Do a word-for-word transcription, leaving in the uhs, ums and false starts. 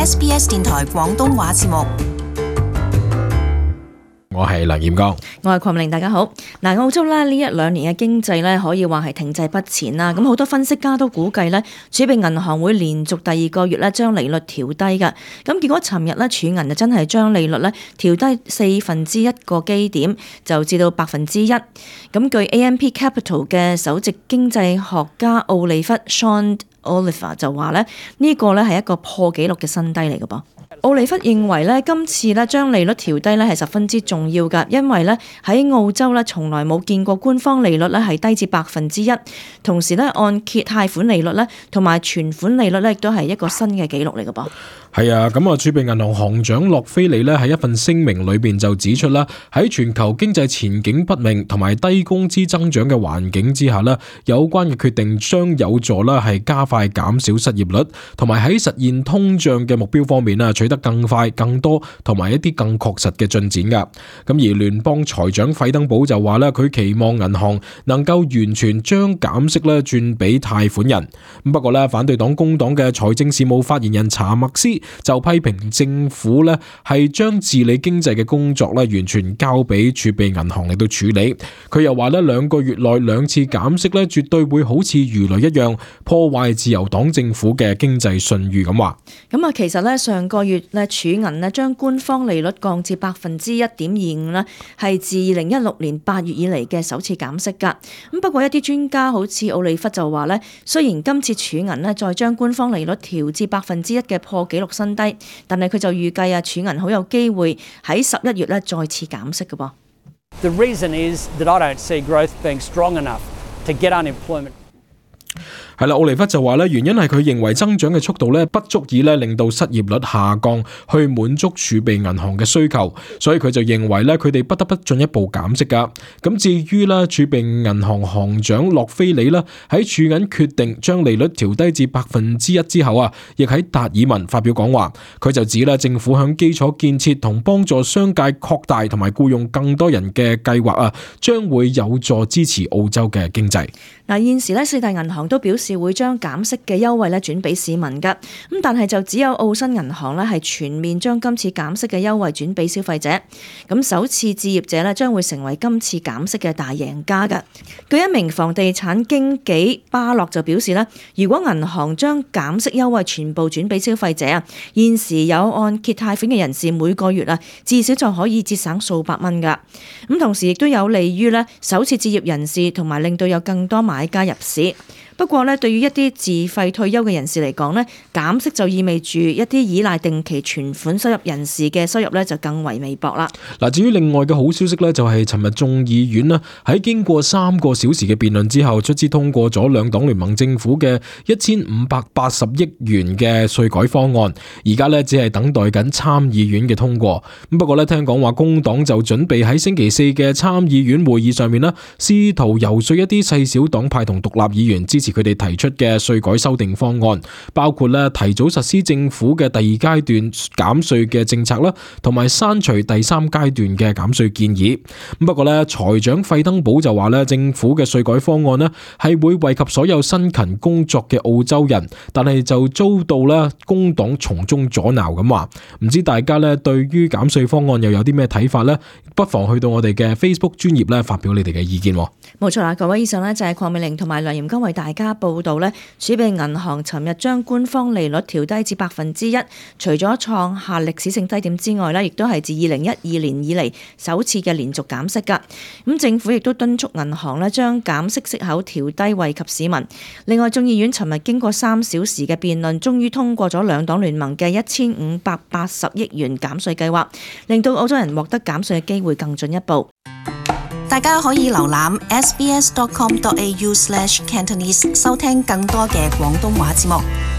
S B S 電台廣東話節目。我係梁彥剛，我係鄺明，大家好。嗱，澳洲咧呢一兩年嘅經濟咧可以話係停滯不前啦。咁好多分析家都估計咧，儲備銀行會連續第二個月咧將利率調低㗎。咁結果尋日咧儲銀就真係將利率咧調低四分之一個基點，就至到百分之一。咁據 A M P Capital 嘅首席經濟學家奧利弗 Sean Oliver 就話咧，呢個咧係一個破紀錄嘅新低嚟嘅噃。奧利弗認為咧，今次咧將利率調低咧係十分之重要㗎，因為咧喺澳洲咧從來冇見過官方利率咧係低至百分之一，同時咧按揭貸款利率咧同埋存款利率咧亦都係一個新嘅紀錄嚟嘅噃。係啊，咁啊，儲備銀行行長洛菲里咧喺一份聲明裏邊就指出啦，喺全球經濟前景不明同埋低工資增長嘅環境之下咧，有關嘅決定將有助啦係加快減少失業率，同埋喺實現通脹嘅目標方面啊取得更快、更多同埋一啲更確實嘅進展噶。咁而聯邦財長費登堡就話咧，佢期望銀行能夠完全將減息咧轉俾貸款人。咁不過咧，反對黨工黨嘅財政事務發言人查默斯就批評政府咧係將治理經濟嘅工作咧完全交俾儲備銀行嚟到處理。佢又話咧，兩個月內兩次減息咧絕對會好似魚雷一樣破壞自由黨政府嘅經濟信譽咁話。咁啊，其實咧上個月咧儲銀咧將官方利率降至百分之一點二五啦，係自二零一六年八月以嚟嘅首次減息㗎。咁不過一啲專家好似奧利弗就話咧，雖然今次儲銀咧再將官方利率調至百分之一嘅破紀錄新低，但係佢就預計啊，儲銀好有機會喺十一月咧再次減息嘅噃。The reason is that I don't see growth being strong enough to get unemployment. 係啦，奧利弗就話咧，原因係佢認為增長嘅速度咧不足以咧令到失業率下降，去滿足儲備銀行嘅需求，所以佢就認為咧佢哋不得不進一步減息噶。咁至於咧儲備銀行行長洛菲里啦，喺儲銀決定將利率調低至百分之一之後啊，亦喺達爾文發表講話，佢就指啦政府響基礎建設同幫助商界擴大同埋僱用更多人嘅計劃啊，將會有助支持澳洲嘅經濟。嗱，現時咧四大銀行都表示會將減息嘅優惠咧轉俾市民㗎，咁但係就只有澳新銀行咧係全面將今次減息嘅優惠轉俾消費者。咁首次置業者咧將會成為今次減息嘅大贏家㗎。據一名房地產經紀巴洛就表示咧，如果銀行將減息優惠全部轉俾消費者啊，現時有按揭貸款嘅人士每個月啊至少就可以節省數百蚊㗎。咁同時亦都有利於咧首次置業人士同埋令到有更多買家入市。不過咧，對於一啲自費退休嘅人士嚟講咧，減息就意味住一啲依賴定期存款收入人士嘅收入咧就更為微薄啦。嗱，至於另外嘅好消息咧，就係尋日眾議院啦，喺經過三個小時嘅辯論之後，卒之通過咗兩黨聯盟政府嘅一千五百八十億元嘅稅改方案，而家咧只係等待緊參議院嘅通過。咁不過咧，聽講話工黨就準備喺星期四嘅參議院會議上面啦，試圖游說一啲細小黨派同獨立議員支持佢哋提出嘅稅改修訂方案，包括咧提早實施政府嘅第二階段減稅嘅政策啦，同埋刪除第三階段嘅減稅建議。不過咧，財長費登堡就話咧，政府嘅稅改方案咧係會惠及所有辛勤工作嘅澳洲人，但係就遭到咧工黨從中阻撓咁話。唔知大家咧對於減稅方案又有啲咩睇法呢？不妨去到我哋嘅 Facebook 專頁咧發表你哋嘅意見。冇錯啦，各位，以上呢就係鄺美玲同埋梁彥剛為大家報道呢，儲備銀行尋日將官方利率調低至百分之一，除咗創下歷史性低點之外呢，亦都係自二零一二年以嚟首次嘅連續減息㗎。咁政府亦都敦促銀行呢將減息息口調低，惠及市民。另外，眾議院尋日經過三小時嘅辯論，終於通過咗兩黨聯盟嘅一千五百八十億元減稅計劃，令到澳洲人獲得減稅嘅機會更進一步。大家可以瀏覽 s b s dot com dot a u slash cantonese 收聽更多嘅廣東話節目。